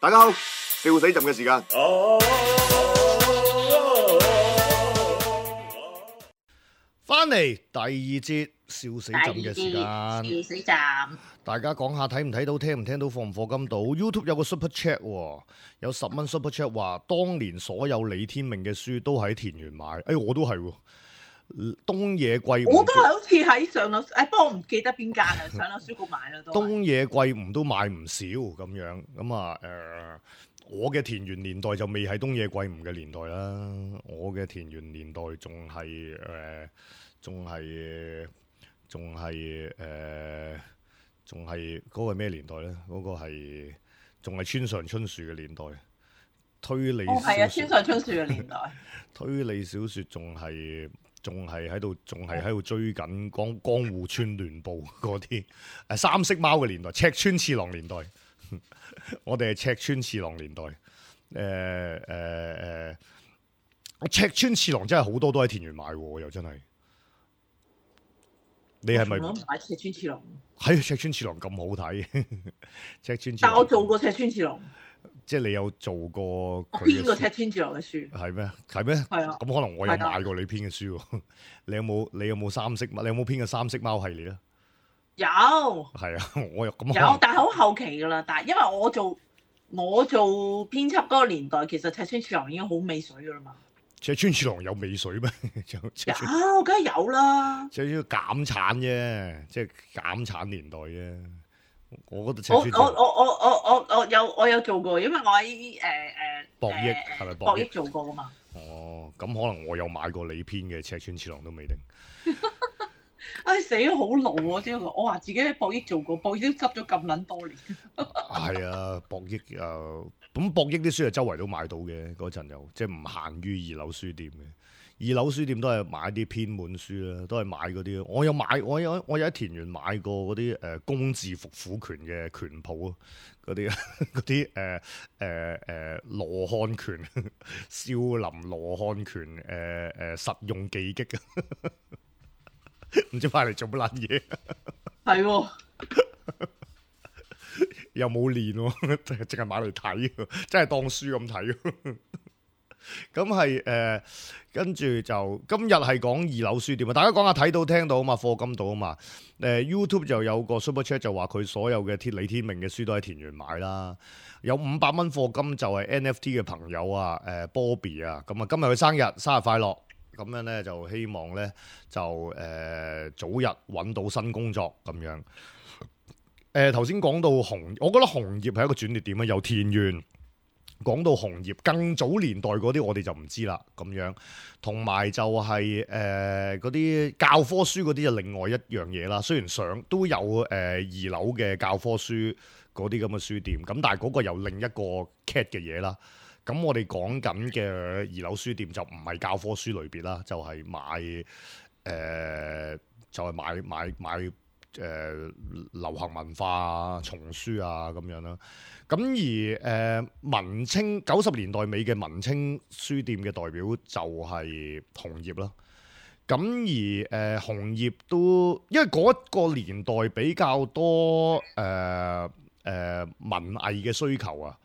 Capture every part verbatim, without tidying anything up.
大家好，笑死朕嘅時間。翻嚟第二節笑死朕嘅時間，笑死朕。大家講下睇唔睇到、聽唔聽到、放唔放金到 ？YouTube 有個 Super Chat 喎，有十蚊 Super Chat 話，當年所有李天命嘅書都喺田園買。哎，我都係喎。東野圭吾，我都係好似喺上樓，誒，不過我唔記得邊間啦，上樓書局買啦都。東野圭吾都買唔少咁樣，咁啊誒，我嘅田園年代就未係東野圭吾嘅年代啦，我嘅田園年代仲係誒，仲係仲係誒，仲係嗰個咩年代咧？嗰、嗰個係仲係村上春樹嘅年代，推理小說。哦，係啊，村上春樹嘅年代。推理小說仲係。仲係喺度，仲係喺度追緊江江戶川亂步嗰啲誒三色貓嘅年代，赤川次郎年代，我哋係赤川次郎年代。誒誒誒，赤川次郎真係好多都喺田園買喎，又真係。你係咪？我唔買赤川次郎。係赤川次郎咁好睇，赤川次郎。但我做過赤川次郎。即係你有做過我編過赤川次郎嘅書。係咩？係咩？係啊。咁可能我有買過你編嘅書喎。你有冇？你有冇三色貓？你有冇編過三色貓系列啊？有。係啊，我又咁。有，但係好後期㗎啦。但係因為我做我做編輯嗰個年代，其實赤川次郎已經好尾水㗎啦嘛。赤川次郎有尾水咩？有，梗係有啦。即係要減產啫，即係減產年代啫。我覺得我我我我我我我有我有做過，因為我喺誒誒博益係咪博益做過噶嘛？哦，咁可能我有買過你編嘅赤川次郎都未定。唉、哎，死咗好老啊！知道我話自己喺博益做過，博益都執咗咁撚多年。係啊，博益啊，咁博益啲書係周圍都買到嘅，嗰陣又即係唔限於二樓書店嘅。二樓書店都係買啲偏門書啦，都係買嗰啲。我有買，我有我有喺田園買過嗰啲誒公字伏虎拳嘅拳譜啊，嗰啲嗰啲誒誒誒羅漢拳、少林羅漢拳誒誒、呃呃、實用技擊啊，唔知買嚟做乜撚嘢？係喎，又冇練喎，淨係買嚟睇，真係當書咁睇。咁係誒，跟住就今日係講二樓書店啊！大家講下睇到聽到啊嘛，課金到啊嘛。誒、呃、YouTube 就有個 Super Chat 就話佢所有嘅鐵李天命嘅書都喺田園買啦。有五百蚊課金就係 N F T 嘅朋友啊，誒、呃、Bobby 啊，咁啊今日佢生日，生日快樂！咁樣咧就希望咧就誒、呃、早日揾到新工作咁樣。誒頭先講到紅，我覺得紅葉係一個轉捩點啊，由田園。講到紅葉，更早年代嗰啲我哋就唔知啦，咁樣，同埋就係誒嗰啲教科書嗰啲就另外一樣嘢啦。雖然上都有誒、呃、二樓嘅教科書嗰啲咁嘅書店，咁但係嗰個又另一個 cat 嘅嘢啦。咁我哋講緊嘅二樓書店就唔係教科書類別啦，就係、是、買誒、呃、就係、是、買買買誒、呃、流行文化啊、叢書啊咁樣啦。咁而誒、呃、文青九十年代尾嘅文青書店嘅代表就係紅葉啦。咁而誒、呃、紅葉都因為嗰個年代比較多誒誒、呃呃、文藝嘅需求啊，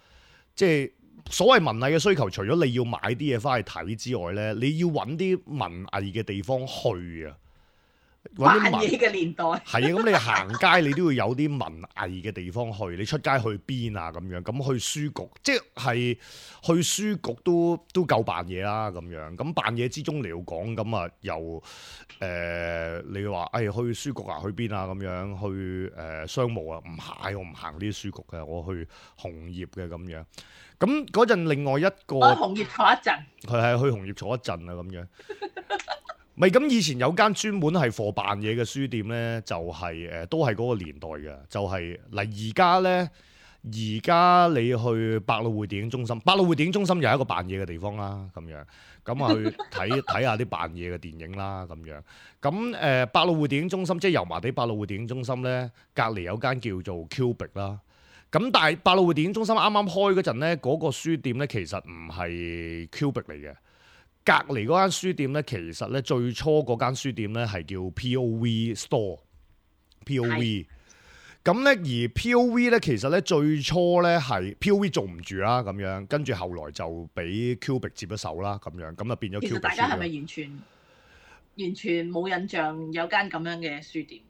即係所謂文藝嘅需求，除咗你要買啲嘢翻去睇之外咧，你要揾啲文藝嘅地方去啊。玩嘢嘅年代係啊，咁你行街你都要有啲文藝嘅地方去，你出街去邊啊咁樣，咁去書局，即係去書局都都夠扮嘢啦咁樣。咁扮嘢之中嚟講，咁啊又誒、呃、你話誒、哎、去書局啊，去邊啊咁樣，去誒、呃、商務啊，唔係我唔行呢啲書局嘅，我去紅葉嘅咁樣。咁嗰陣另外一個，去紅葉坐一陣，佢係去紅葉坐一陣啊咁樣。咪咁以前有間專門係貨扮嘢嘅書店咧，就係、是、誒、呃、都係嗰個年代嘅，就係嗱而家咧，而家你去百老匯電影中心，百老匯電影中心又係一個扮嘢嘅地方啦，咁樣咁啊去睇睇下啲扮嘢嘅電影啦，咁樣咁誒、呃、百老匯電影中心即係油麻地百老匯電影中心咧，隔離有間叫做 Cubic 啦，咁但係百老匯電影中心啱啱開嗰陣咧，嗰、那個書店咧其實唔係 Cubic 嚟嘅。隔離嗰間書店咧，其實咧最初嗰間書店咧係叫 P O V Store，P O V。咁咧而 P O V 咧，其實咧最初咧係 P O V 做唔住啦，咁樣跟住後來就俾 Cubic 接咗手啦，咁樣咁就變咗 Cubic。其實大家係咪完全完全冇印象有間咁樣嘅書店？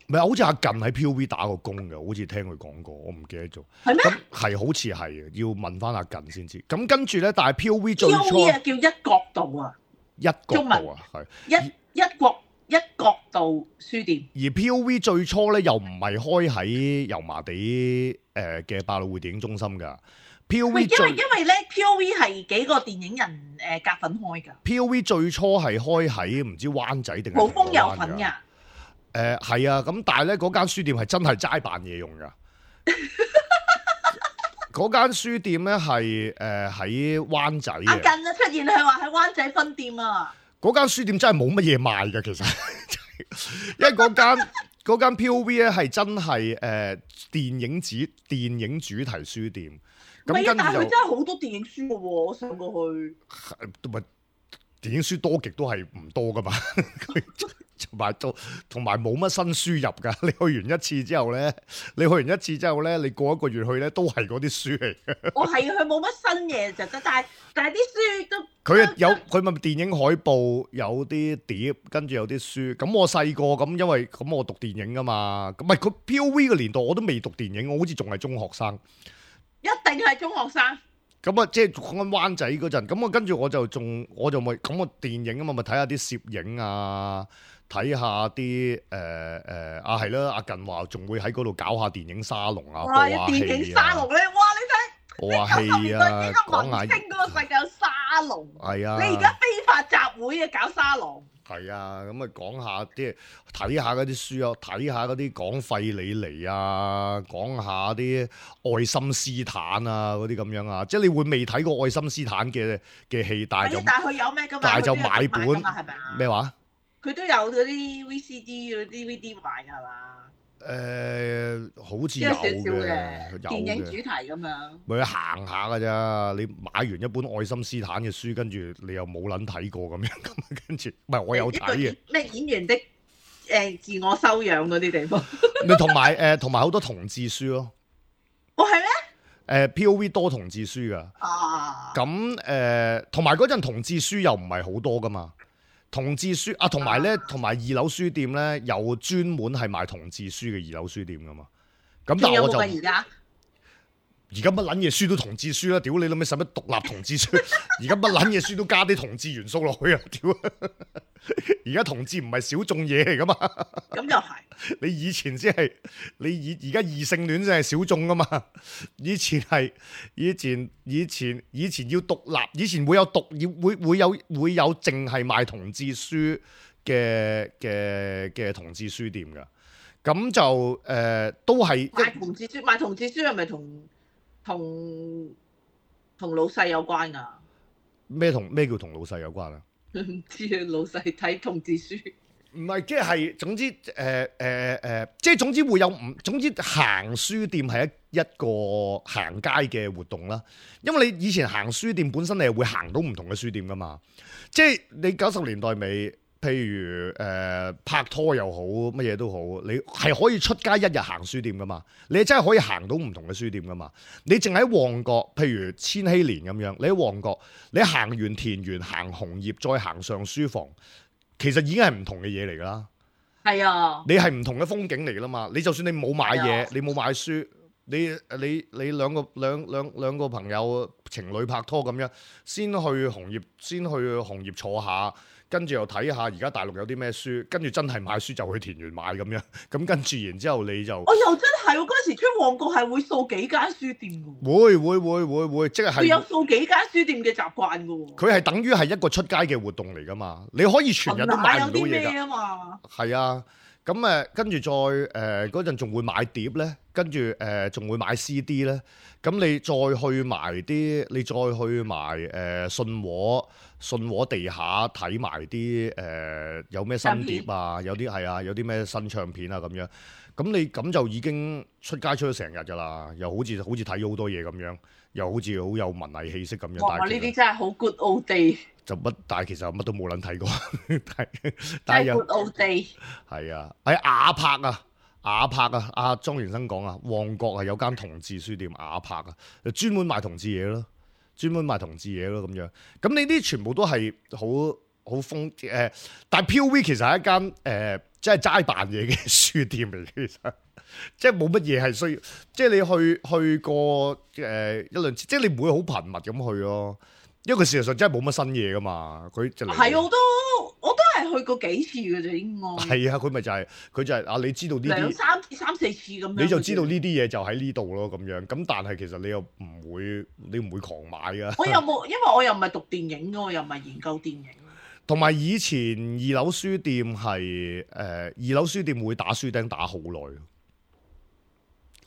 唔係，好似阿近喺 P O V 打過工嘅，好似聽佢講過，我唔記得咗。係咩？咁係好似係嘅，要問翻阿近先知。咁跟住咧，但係 P O V 最 P O 初 V 啊，叫一角度啊，一角度啊，係一一角一角度書店。而 P O V 最初咧又唔係開喺油麻地誒嘅百老匯電影中心㗎。P O V 喂，因最為因為咧 P O V 係幾個電影人誒夾份開㗎。P O V 最初係開喺唔知灣仔定係無風有銅鑼灣㗎。份㗎。誒係啊，咁但係咧嗰間書店係真係齋扮嘢用㗎。嗰間書店咧係誒喺灣仔阿近嘅。啊出現，佢話喺灣仔分店啊。嗰間書店真係冇乜嘢賣㗎，其實，因為嗰間嗰間 P O V 咧係真係誒、呃、電影主電影主題書店。咁唔係啊，跟住就但係佢真係好多電影書㗎喎，我上過去。同埋電影書多極都係唔多㗎嘛。同埋都同埋冇乜新書入㗎，你去完一次之後咧，你去完一次之後咧，你過一個月去咧都係嗰啲書嚟嘅。我係佢冇乜新嘢就得，但係但係啲書都佢有佢咪電影海報，有啲碟，跟住有啲書。咁我細個咁，因為咁我讀電影㗎嘛，咁唔係佢 P O V 嘅年代我都未讀電影，我好似仲係中學生。一定係中學生。咁啊，即係講緊灣仔嗰陣，咁我跟住我就仲我就咪咁我電影啊嘛，咪睇下啲攝影啊。睇下啲誒誒啊係啦，阿近話仲會喺嗰度搞下電影沙龍啊，播哇！下電影戲沙龍咧，哇！你睇播下戲啊，講下文青嗰個世界有沙龍。係啊，你而家非法集會啊，搞沙龍。係啊，咁啊講下啲睇下嗰啲書啊，睇下嗰啲講費里尼啊，講下啲愛心斯坦啊嗰啲咁樣啊，即係你會未睇過愛心斯坦嘅嘅戲，但係就但係佢有咩㗎嘛？但係就買本係咪啊？咩話？佢都有嗰啲 V C D 嗰啲 D V D 賣㗎係嘛？誒、呃，好似即係有少少嘅，嘅有電影主嘅。題咁樣。咪去行下㗎咋？你買完一本愛心斯坦嘅書，跟住你又冇撚睇過咁樣，咁跟住唔係我有睇嘅。咩演員的誒、呃、自我修養嗰啲地方。你同埋誒，同埋好多同志書咯。哦，係咩？誒 P O V 多同志書㗎。啊。咁誒，同埋嗰陣同志書又唔係好多㗎嘛。同志書啊，同埋咧，同埋二樓書店咧，有專門係賣同志書嘅二樓書店㗎嘛。咁但係我就而家而家乜撚嘢書都同志書啦，屌你諗咩使乜獨立同志書？而家乜撚嘢書都加啲同志元素落去啊！屌，而家同志唔係小眾嘢嚟㗎嘛。咁又係。你以前先係你以而家異性戀先係小眾㗎嘛。以前係以前以前以前要獨立，以前會有獨要會會有會有淨係賣同志書嘅嘅嘅同志書店㗎。咁就誒、呃、都係賣同志書，賣同志書係咪同同同老細有關㗎？咩同咩叫同老細有關啊？唔知啊，老細睇同志書。唔係，即係總之誒誒誒，即係總之會有唔總之行書店係一一個行街嘅活動啦。因為你以前行書店本身你係會行到唔同嘅書店㗎嘛。即係你九十年代尾。譬如誒、呃、拍拖又好，乜嘢都好，你係可以出街一日行書店噶嘛？你真係可以行到唔同嘅書店噶嘛？你淨喺旺角，譬如千禧年咁樣，你喺旺角，你行完田園，行紅葉，再行上書房，其實已經係唔同嘅嘢嚟㗎啦。係啊，你係唔同嘅風景嚟㗎啦嘛。你就算你冇買嘢，啊、你冇買書，你你你兩個兩兩兩個朋友情侶拍拖咁樣，先去紅葉，先去紅葉坐下。跟住又睇下而家大陸有啲咩書，跟住真係買書就去田園買咁樣，咁跟住然之後你就，我又真係喎，嗰陣時出旺角係會掃幾間書店㗎喎，會會會會會，即係佢有掃幾間書店嘅習慣㗎喎，佢係等於係一個出街嘅活動嚟㗎嘛，你可以全日都買唔到嘢㗎嘛，係啊，咁誒跟住再誒嗰陣仲會買碟咧，跟住誒仲會買 C D 咧，咁你再去埋啲，你再去埋誒、呃、信和。信和地下睇埋啲誒有咩新碟啊，有啲係啊，有啲咩新唱片啊咁樣，咁你咁就已經出街出咗成日㗎啦，又好似好似睇咗好多嘢咁樣，又好似好有文藝氣息咁樣。哇！呢啲真係好 good old day。就乜？但係其實乜都冇撚睇過，但係但係又 good old day。係啊，喺亞柏啊，雅柏啊，阿莊元生講啊，旺角係有間同志書店雅柏啊，就專門賣同志嘢咯，專門賣同志嘢咯咁樣。咁呢啲全部都係好好風誒、呃，但係 P O V 其實係一間誒、呃，即係齋扮嘢嘅書店嚟嘅，其實即係冇乜嘢係需要，即係你去去過誒、呃、一兩次，即係你唔會好頻密咁去咯。因為佢事實上真係冇乜新嘢噶嘛，佢就嚟係我都我都係去過幾次嘅啫，應該係啊，佢咪就係、是、佢就係、是、啊，你知道呢啲兩三三四次咁樣，你就知道呢啲嘢就喺呢度咯咁樣。咁但係其實你又唔會，你唔會狂買噶。我又冇，因為我又唔係讀電影嘅，我又唔係研究電影。同埋以前二樓書店係誒、呃、二樓書店會打書釘打好耐。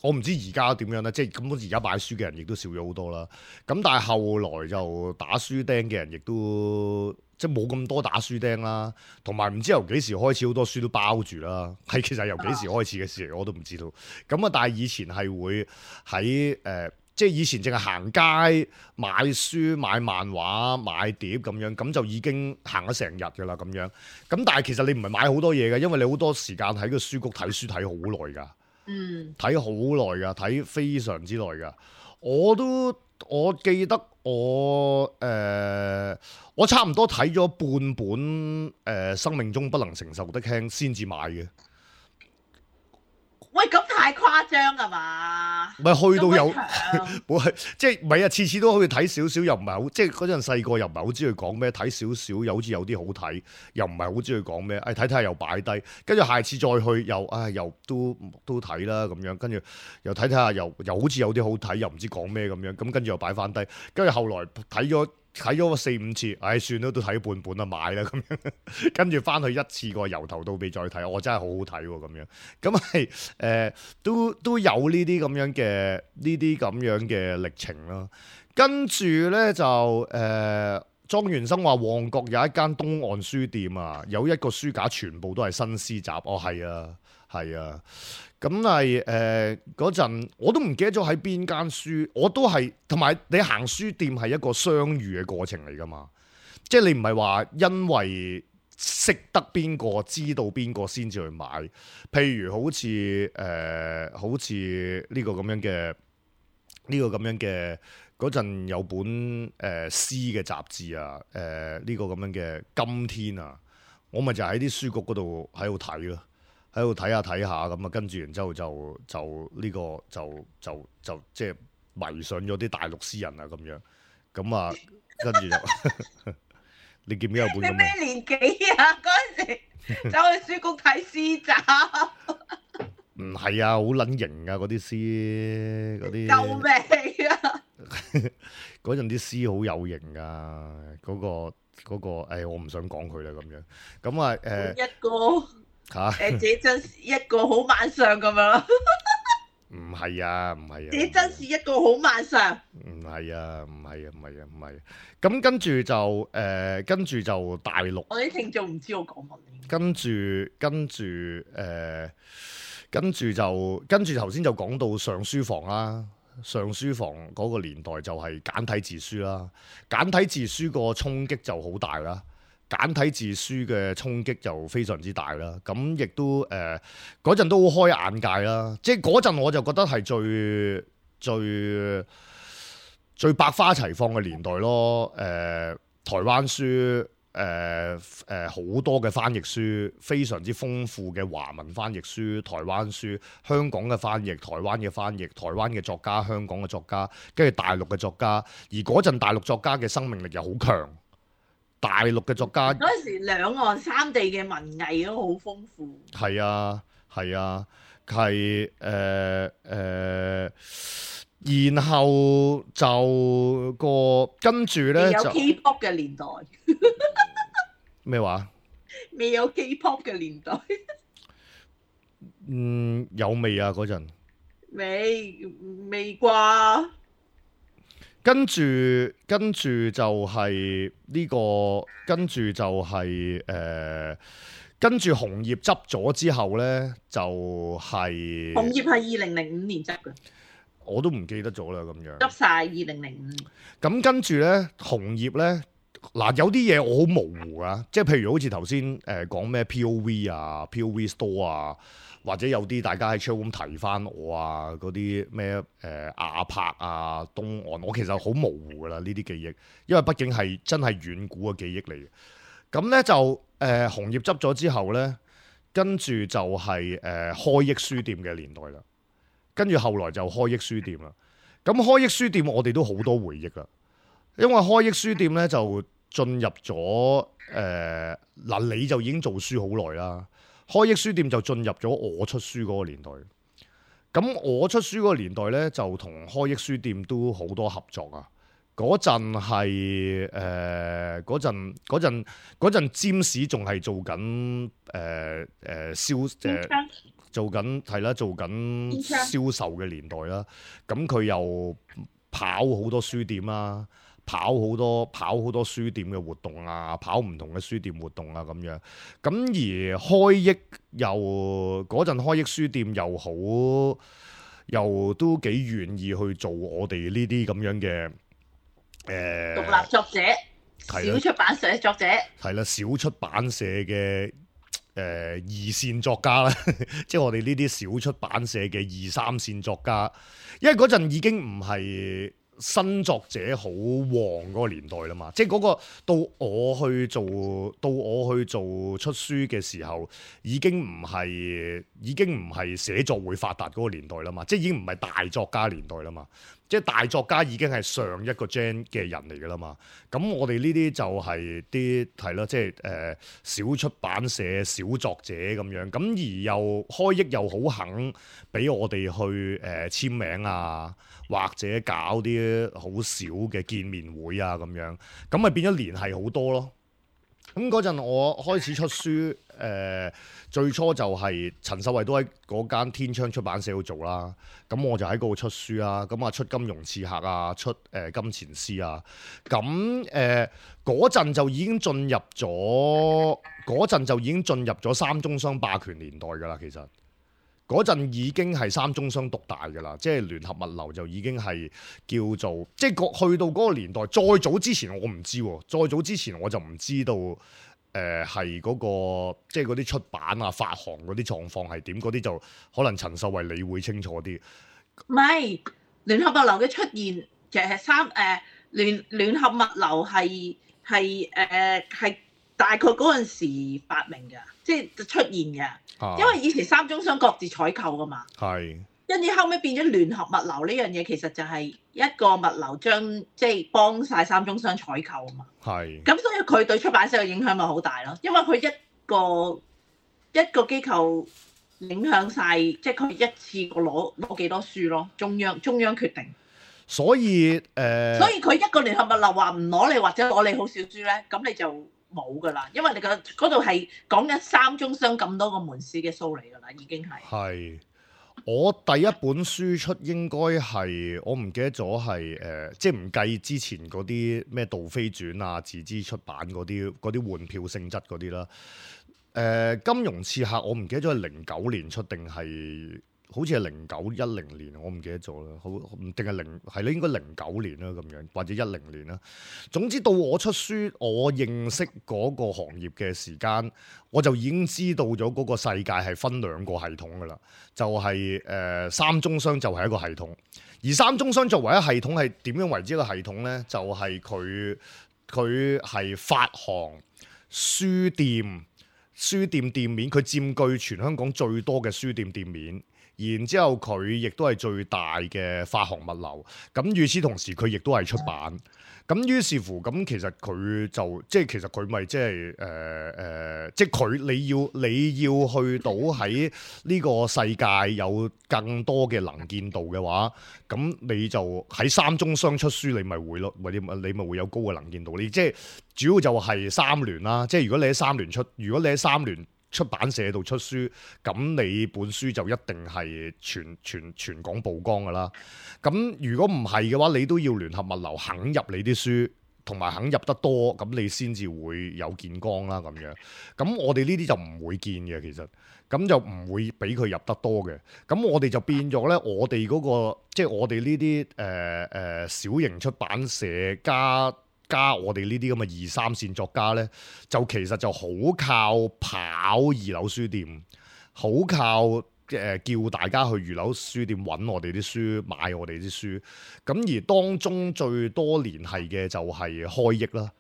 我唔知而家點樣咧，即係根本而家買書嘅人亦都少咗好多啦。咁但係後來就打書釘嘅人亦都即係冇咁多打書釘啦。同埋唔知由幾時開始好多書都包住啦。係其實由幾時開始嘅事嚟我都唔知道。咁啊，但係以前係會喺誒、呃，即係以前淨係行街買書、買漫畫、買碟咁樣，咁就已經行咗成日㗎啦咁樣。咁但係其實你唔係買好多嘢嘅，因為你好多時間喺個書局睇書睇好耐㗎。嗯，睇好耐㗎，睇非常之耐㗎。我都我記得我誒、呃，我差唔多睇咗半本誒、呃《生命中不能承受的輕》先至買嘅。喂，咁太誇張係嘛？唔係去到有咁長冇係即係唔係啊？次次都可以睇少少，又唔係好即係嗰陣細個又唔係好知佢講咩，睇少少又好似有啲好睇，又唔係好知佢講咩。誒睇睇下又擺低，跟住下次再去又唉、哎、又都都睇啦咁樣，跟住又睇睇下又又好似有啲好睇，又唔知講咩咁樣，咁跟住又擺翻低，跟住後來睇咗。睇咗四五次，唉、哎，算啦，都睇半本啦，買啦咁樣，跟住翻去一次過由頭到尾再睇，我真係好好睇喎咁樣，咁係誒都都有呢啲咁樣嘅呢啲咁樣嘅歷程啦。跟住咧就誒，莊元生話旺角有一間東岸書店啊，有一個書架全部都係新詩集，哦係啊係啊。咁係誒嗰陣，我都唔記得咗喺邊間書，我都係同埋你行書店係一個相遇嘅過程嚟㗎嘛，即係你唔係話因為識得邊個知道邊個先至去買，譬如好似誒、呃、好似呢個咁樣嘅呢、這個咁樣嘅嗰陣有本誒、呃、詩嘅雜誌啊，誒、呃、呢、這個咁樣嘅今天啊，我咪就喺啲書局嗰度喺度睇咯。喺度睇下睇下咁啊，跟住然之後就就呢、這個就就就即係迷上咗啲大陸詩人啊咁樣，咁啊跟住就你記唔記得有本咁嘅？你咩年紀啊？嗰陣時走去書局睇詩集。唔係啊，好撚型啊嗰啲詩，嗰啲救命啊！嗰陣啲詩好有型啊，嗰、那個嗰、那個、哎、我唔想講佢啦咁樣，咁啊誒一個。嚇！誒，這真是一個好晚上咁樣。唔係啊，唔係啊！這真是一個好晚上。唔係啊，唔係啊，唔係啊，唔係。咁跟住就誒、呃，跟住就大陸。我啲聽眾唔知我講乜。跟住跟住誒，跟住就跟住頭先就講到上書房啦。上書房嗰個年代就係簡體字書啦，簡體字書個衝擊就好大啦。簡體字書嘅衝擊就非常之大啦，咁亦都誒嗰陣都好開眼界啦，即係嗰陣我就覺得係最最最百花齊放嘅年代咯。誒、呃、台灣書誒誒好多嘅翻譯書，非常之豐富嘅華文翻譯書，台灣書、香港嘅翻譯、台灣嘅翻譯、台灣嘅作家、香港嘅作家，跟住大陸嘅作家，而嗰陣大陸作家嘅生命力又好強。大陸嘅作家嗰陣時，兩岸三地嘅文藝都好豐富。係啊，係啊，係誒誒，然後就個跟住咧就有 K-pop 嘅年代。咩話？未有 K-pop 嘅年代。嗯，有未啊？嗰陣未未啩？跟住，跟住就係呢個，跟住就係誒，跟住紅葉執咗之後呢，就係紅葉係二零零五年執嘅，我都唔記得咗啦咁樣。執晒二零零五年。咁跟住呢，紅葉呢，嗱，有啲嘢我好模糊啊，即係譬如好似頭先誒講咩 P O V 啊、P O V Store 啊，或者有啲大家喺 chat room 提翻我啊，嗰啲咩誒亞柏啊、東岸，我其實好模糊噶啦呢啲記憶，因為畢竟係真係遠古嘅記憶嚟嘅。咁咧就誒、呃、紅葉執咗之後咧，跟住就係、是、誒、呃、開益書店嘅年代啦，跟住後來就開益書店啦。咁開益書店我哋都好多回憶啦。因為開益書店咧就進入咗誒嗱，你就已經做書好耐啦。開益書店就進入咗我出書嗰個年代。咁我出書嗰個年代咧，就同開益書店都好多合作啊。嗰陣係誒嗰陣嗰陣嗰陣占士仲係做緊誒誒銷誒做緊係啦，做緊銷售嘅年代啦。咁佢又跑好多書店啦。跑好多跑好多書店嘅活動啊，跑唔同嘅書店活動啊咁樣。咁而開益又嗰陣開益書店又好，又都幾願意去做我哋呢啲咁樣嘅誒、呃、獨立作者、小出版社作者。係啦，小出版社嘅誒、呃、二線作家啦，即係我哋呢啲小出版社嘅二三線作家，因為嗰陣已經唔係新作者好旺嗰個年代啦嘛，即係嗰個到我去做到我去做出書嘅時候，已經唔係已經唔係寫作會發達嗰個年代啦嘛，即係已經唔係大作家年代啦嘛，即係大作家已經係上一個 gen 嘅人嚟噶啦嘛。咁我哋呢啲就係啲係咯，即係誒、呃、小出版社小作者咁樣，咁而又開益又好肯俾我哋去誒、呃、簽名啊，或者搞啲好少嘅見面會啊咁樣，咁咪變咗聯繫好多咯。咁嗰陣我開始出書，誒、呃、最初就係陳秀慧都喺嗰間天窗出版社度做啦，咁我就喺嗰度出書啦，咁啊出金庸刺客啊，出誒、呃、金錢師啊，咁誒嗰陣就已經進入咗，嗰陣就已經進入咗三中商霸權年代㗎啦，其實。嗰陣已經係三中商獨大㗎啦，即係聯合物流就已經係叫做，即係個去到嗰個年代，再早之前我唔知喎，再早之前我就唔知道，誒係嗰個即係嗰啲出版啊、發行嗰啲狀況係點，嗰啲就可能陳秀慧你會清楚啲。唔係聯合物流嘅出現，其實係三誒聯聯合物流係係誒係大概嗰陣時發明㗎，即係出現嘅。啊、因為以前三中商各自採購㗎嘛，係跟住後尾變咗聯合物流呢樣嘢，其實就係一個物流將即係幫晒三中商採購啊嘛。係咁，所以佢對出版社嘅影響咪好大咯，因為佢一個一個機構影響晒，即係佢一次過攞攞幾多書咯，中央中央決定。所以誒，呃、所以佢一個聯合物流話唔攞你或者攞你好少書咧，咁你就冇噶啦，因為你個嗰度係講緊三中商咁多個門市嘅數嚟噶啦，已經係。係我第一本書出應該係我唔記得咗係誒，即係唔計之前嗰啲咩杜飛傳啊、自資出版嗰啲嗰啲換票性質嗰啲啦。誒、呃、金庸刺客我唔記得咗係零九年出定係。好似係零九一零年，我唔記得咗啦。好唔定係零係咧，應該零九年啦咁樣，或者一零年啦。總之到我出書，我認識嗰個行業嘅時間，我就已經知道咗嗰個世界係分兩個系統噶啦。就係、是、誒、呃、三中商就係一個系統，而三中商作為一個系統係點樣為之一個系統呢？就係佢佢係發行書店書店店面，佢佔據全香港最多嘅書店店面。然之後佢亦都係最大嘅發行物流，咁與此同時佢亦都係出版，咁於是乎咁其實佢就即係其實佢咪即係誒誒，即係佢你要你要去到喺呢個世界有更多嘅能見度嘅話，咁你就喺三中商出書，你咪會咯，或者你咪會有高嘅能見度。你即係主要就係三聯啦，即係如果你喺三聯出，如果你喺三聯出版社度出書，咁你本書就一定係全全全港曝光㗎啦。咁如果唔係嘅話，你都要聯合物流肯入你啲書，同埋肯入得多，咁你先至會有見光啦咁樣。咁我哋呢啲就唔會見嘅，其實咁就唔會俾佢入得多嘅。咁我哋就變咗咧，我哋嗰個即係我哋呢啲誒誒小型出版社加加我哋呢啲咁嘅二三線作家呢，就其實就好靠跑二樓書店，好靠誒、呃、叫大家去二樓書店揾我哋啲書，買我哋啲書。咁而當中最多聯繫嘅就係開益啦。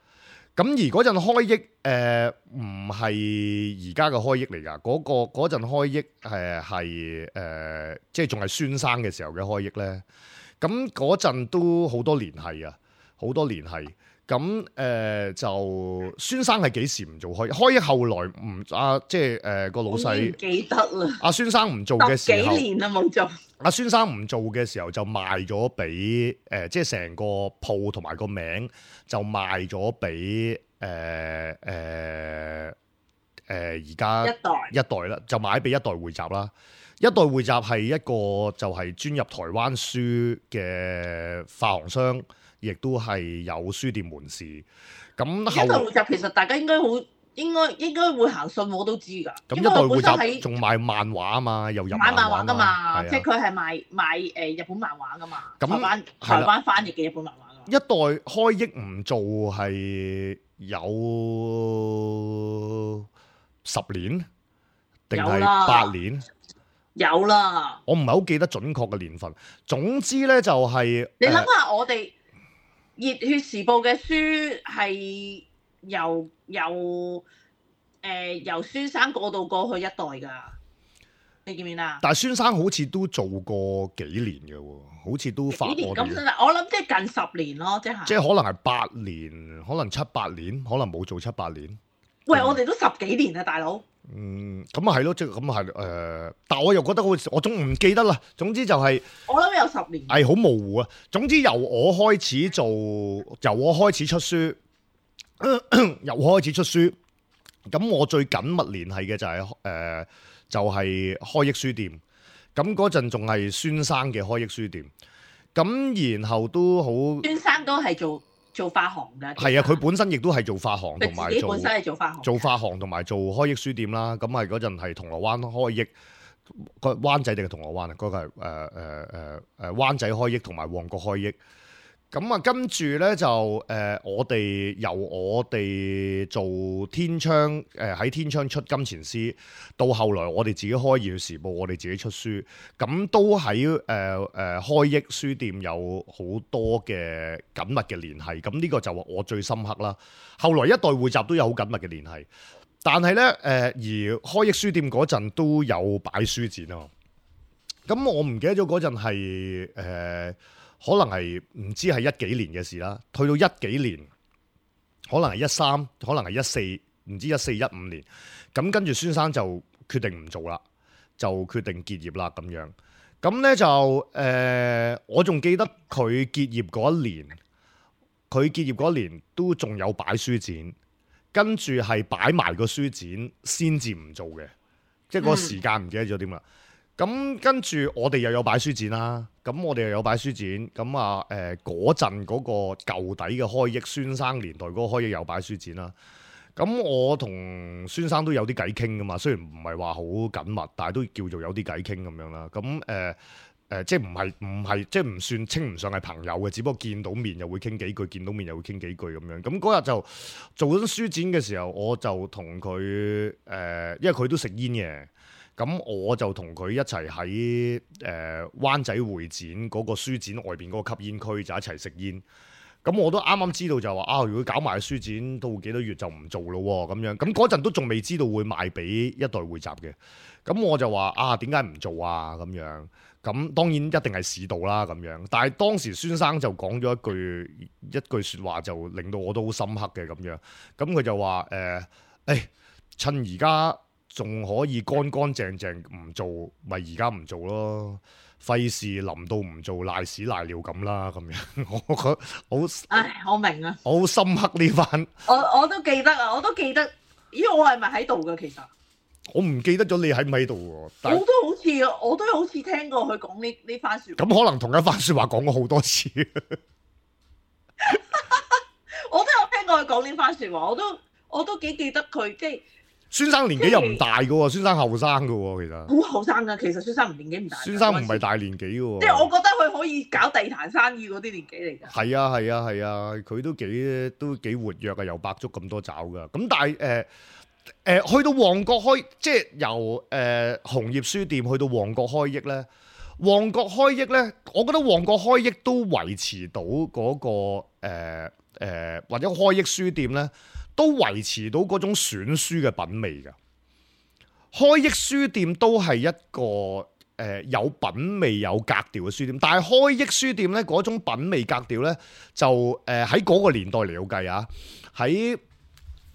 咁而嗰陣開益誒唔係而家嘅開益嚟㗎，嗰、嗰個嗰陣開益誒係誒即係仲係孫生嘅時候嘅開益咧。咁嗰陣都好多聯繫啊，好多聯繫。咁誒、呃、就孫生係幾時唔做開益？開益後來唔啊，即係誒個老細唔記得啦。阿孫生唔做嘅時候，十幾年啦冇做。阿孫生唔做嘅時候就賣咗俾誒，即係成個鋪同埋個名就賣咗俾誒誒誒而家一代一代啦，就買俾一代匯集啦。一代匯集係一個就係專入台灣書嘅發行商，亦都係有書店門市。咁後一代匯集其實大家應該好。應該應該會行信我都知㗎。咁一代匯集仲賣漫畫啊嘛，又入買漫畫㗎嘛，啊、即係佢係賣賣誒日本漫畫㗎嘛。咁台灣台灣翻譯嘅日本漫畫㗎嘛。一代開益唔做係有十年定係八年？有啦。我唔係好記得準確嘅年份。總之咧就係、是、你諗下，我哋熱血時報嘅書係。由由誒、呃、由孫生過渡過去一代㗎，你見唔見啊？但係孫生好似都做過幾年嘅喎，好似都發我哋。咁我諗即係近十年咯，即係。即係可能係八年，可能七八年，可能冇做七八年。喂，嗯、我哋都十幾年啊，大佬。嗯，咁啊係咯，即係咁係誒，但係我又覺得好似我總唔記得啦。總之就係、是、我諗有十年。係好模糊啊。總之由我開始做，由我開始出書。由開始出書，咁我最緊密聯繫嘅就係、是、誒、呃，就係、是、開益書店。咁嗰陣仲係孫生嘅開益書店。咁然後都好，孫生都係做做發行㗎。係啊，佢本身亦都係做發行同埋做，本身係做發行，做發行同埋做開益書店啦。咁係嗰陣係銅鑼灣開益，個灣仔定係銅鑼灣啊？嗰、那個係誒誒誒誒灣仔開益同埋旺角開益。咁啊，跟住咧就誒、呃，我哋由我哋做天窗誒喺、呃、天窗出金錢獅，到後來我哋自己開熱血時報，我哋自己出書，咁都喺誒誒開益書店有好多嘅緊密嘅聯繫。咁呢個就我最深刻啦。後來一代匯集都有好緊密嘅聯繫，但係咧誒而開益書店嗰陣都有擺書展啊。咁我唔記得咗嗰陣係誒。可能係唔知係一幾年嘅事啦，去到一幾年，可能係一三，可能係一四，唔知一四一五年，咁跟住孫生就決定唔做啦，就決定結業啦咁樣。咁呢就誒、呃，我仲記得佢結業嗰一年，佢結業嗰一年都仲有擺書展，跟住係擺埋個書展先至唔做嘅，即係個時間唔記得咗點啦。咁跟住我哋又有擺書展啦，咁我哋又有擺書展，咁啊誒嗰陣嗰個舊底嘅開益，孫生年代嗰個開益有擺書展啦。咁我同孫生都有啲偈傾噶嘛，雖然唔係話好緊密，但係都叫做有啲偈傾咁樣啦。咁誒誒，即係唔係唔係即係唔算稱唔上係朋友嘅，只不過見到面又會傾幾句，見到面又會傾幾句咁樣。咁嗰日就做緊書展嘅時候，我就同佢誒，因為佢都食煙嘅。咁我就同佢一齊喺誒灣仔會展嗰個書展外邊嗰個吸煙區就一齊食煙。咁我都啱啱知道就話啊，如果搞埋書展到幾多月就唔做咯喎咁樣。咁嗰陣都仲未知道會賣俾一代匯集嘅。咁我就話啊，點解唔做啊咁樣？咁當然一定係市道啦咁樣。但係當時孫生就講咗一句一句説話，就令到我都好深刻嘅咁樣。咁佢就話誒誒，趁而家仲可以乾乾淨淨唔做，咪而家唔做咯，費事臨到唔做賴屎賴尿咁啦咁樣。我覺得好，唉，我明啊，我好深刻呢番。我我都記得啊，我都記得。咦，我係咪喺度㗎？其實我唔記得咗你喺唔喺度喎。我都好似，我都好似聽過佢講呢呢番説話。咁可能同一番説話講過好多次。我都有聽過佢講呢番説話，我都我都幾記得佢即係。孫生年紀又唔大嘅喎，孫生後生嘅喎，其實。好後生㗎，其實孫生唔年紀唔大。孫生唔係大年紀嘅喎。即係我覺得佢可以搞地壇生意嗰啲年紀嚟㗎。係啊係啊係啊，佢都幾都幾活躍啊，有百足咁多爪㗎。咁但係誒誒去到旺角開，即係由誒、呃、紅葉書店去到旺角開益咧。旺角開益咧，我覺得旺角開益都維持到嗰、那個誒、呃呃、或者開益書店咧，都維持到嗰種選書嘅品味㗎。開益書店都係一個誒、呃、有品味有格調嘅書店，但係開益書店咧嗰種品味格調咧，就誒喺嗰個年代嚟到計啊，喺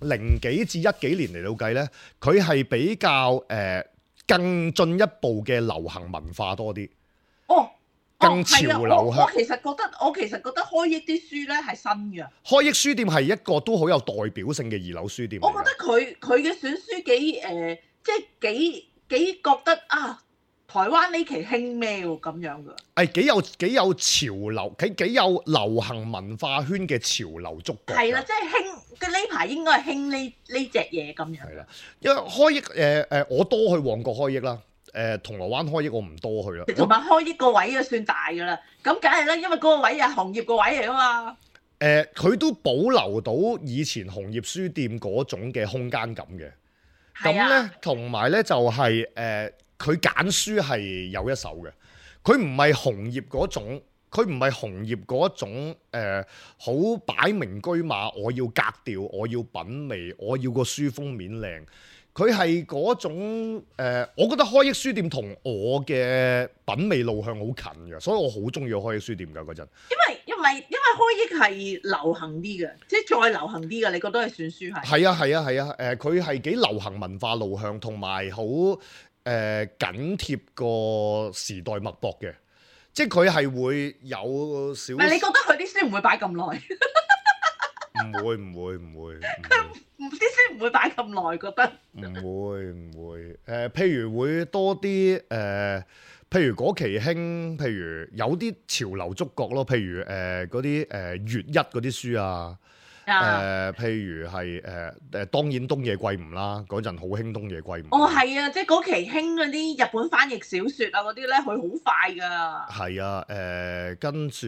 零幾至一幾年嚟到計咧，佢係比較誒。呃更進一步嘅流行文化多啲，哦，更潮流啊、我，我其實覺得，我其實覺得開益啲書咧係新嘅。開益書店係一個都好有代表性嘅二樓書店。我覺得佢佢嘅選書幾誒、呃，即係幾幾覺得啊，台灣呢期興咩喎咁樣㗎？係幾有幾有潮流，幾幾有流行文化圈嘅潮流觸覺。係啦，即係興。呢排應該係興呢呢隻嘢咁樣。係啦，因為開益誒誒、呃，我多去旺角開益啦。誒、呃，銅鑼灣開益我唔多去啦。同埋開益個位就算大㗎啦。咁梗係啦，因為嗰個位係紅葉個位嚟啊嘛。誒、呃，佢都保留到以前紅葉書店嗰種嘅空間感嘅。咁咧，同埋咧就係、是、誒，佢、呃、揀書係有一手嘅。佢唔係紅葉嗰種。佢唔係紅葉嗰種誒，好、呃、擺明車馬，我要格調，我要品味，我要個書封面靚。佢係嗰種、呃、我覺得開益書店同我嘅品味路向好近嘅，所以我好中意開益書店㗎嗰陣。因為因為因為開益係流行啲嘅，即係再流行啲嘅，你覺得係選書係？係啊係啊係啊誒，佢係幾流行文化路向，同埋好誒緊貼個時代脈搏嘅。即係佢係會有少，唔係你覺得佢啲書唔會擺咁耐？唔會唔會唔會，佢啲書唔會擺咁耐，覺得唔會唔會誒、呃，譬如會多啲誒、呃，譬如嗰期興，譬如有啲潮流觸覺咯，譬如誒嗰啲誒月一嗰啲書啊。誒、呃，譬如係誒誒，當然東野圭吾啦，嗰陣好興東野圭吾。哦，係啊，即係嗰期興嗰啲日本翻譯小説啊，嗰啲咧，佢好快㗎。係啊，誒、呃，跟住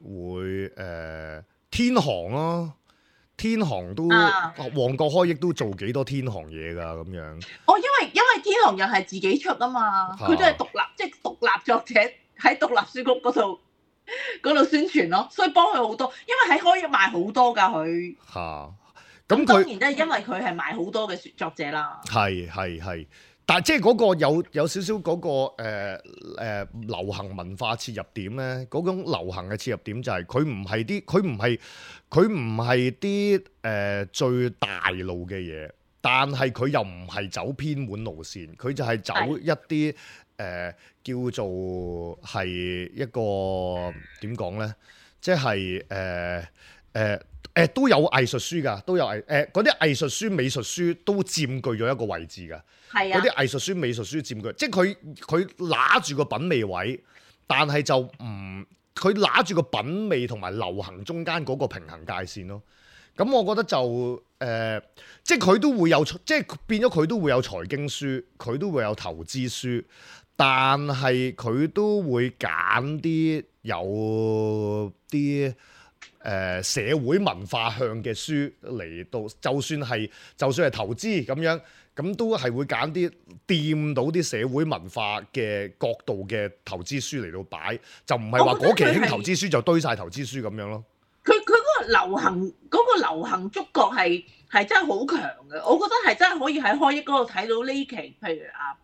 會誒、呃、天航咯、啊，天航都、啊、旺角開益都做幾多天航嘢㗎咁樣。哦，因為因為天航又係自己出啊嘛，佢都係獨立，即係獨立作者喺獨立書局嗰度。嗰度宣傳咯，所以幫佢好多，因為喺開益賣好多㗎佢。嚇，咁佢當然都係因為佢係賣好多嘅作者啦。係係係，但係即係嗰個有有少少嗰、嗰個誒、呃呃、流行文化切入點咧，嗰種流行嘅切入點就係佢唔係啲佢唔係佢唔係啲誒最大路嘅嘢，但係佢又唔係走偏門路線，佢就係走一啲。誒、呃、叫做係一個點講咧，即係誒誒誒都有藝術書㗎，都有藝誒嗰啲藝術書、美術書都佔據咗一個位置㗎。係啊，嗰啲藝術書、美術書佔據，即係佢佢拿住個品味位，但係就唔佢拿住個品味同埋流行中間嗰個平衡界線咯。咁我覺得就誒、呃，即係佢都會有，即係變咗佢都會有財經書，佢都會有投資書。但係佢都會揀啲有啲誒、呃、社會文化向嘅書嚟到，就算係就算係投資咁樣，咁都係會揀啲掂到啲社會文化嘅角度嘅投資書嚟到擺，就唔係話嗰期興投資書就堆晒投資書咁樣咯。佢佢嗰個流行嗰、嗰個流行觸覺係係真係好強嘅，我覺得係真係可以喺開益嗰度睇到呢期，譬如啊。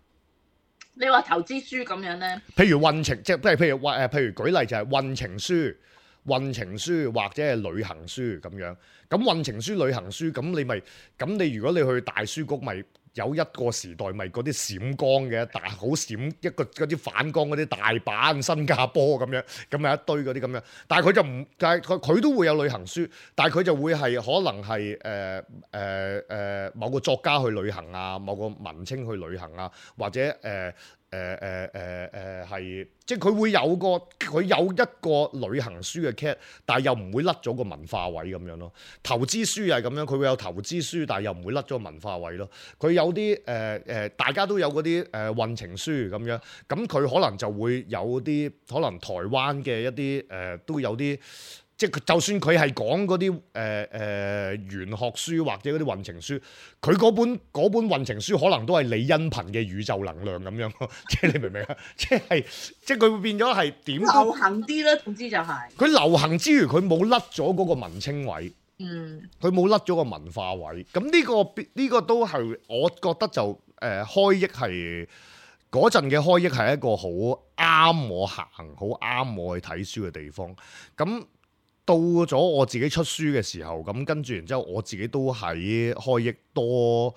你話投資書咁樣咧？譬如運程，即係譬如話誒，譬如舉例就係運程書、運程書或者係旅行書咁樣。咁運程書、旅行書，咁你咪咁你如果你去大書局，咪有一個時代咪嗰啲閃光嘅大好閃一個嗰啲反光嗰啲大阪、新加坡咁樣，咁咪一堆嗰啲咁樣。但係佢就唔，但係佢佢都會有旅行書，但係佢就會係可能係誒誒誒某個作家去旅行啊，某個文青去旅行啊，或者誒誒誒誒誒係，即係佢會有個佢有一個旅行書嘅 cat，但係又唔會甩咗個文化位咁樣咯。投資書又係咁樣，佢會有投資書，但係又唔會甩咗個文化位咯。佢有啲誒誒，大家都有嗰啲誒運程書咁樣，咁佢可能就會有啲可能台灣嘅一啲誒、呃、都有啲。即係就算佢係講嗰啲誒誒玄學書或者嗰啲運程書，佢嗰本嗰本運程書可能都係李恩頻嘅宇宙能量咁樣咯，即係你明唔明啊？即係即係佢會變咗係點流行啲啦，總之就係、是、佢流行之餘，佢冇甩咗嗰個文青位，嗯，佢冇甩咗個文化位。咁呢、這個呢、這個都係我覺得就誒、呃、開益係嗰陣嘅開益係一個好啱我行、好啱我去睇書嘅地方。咁到咗我自己出書嘅時候，咁跟住然之後我自己都喺開益多誒、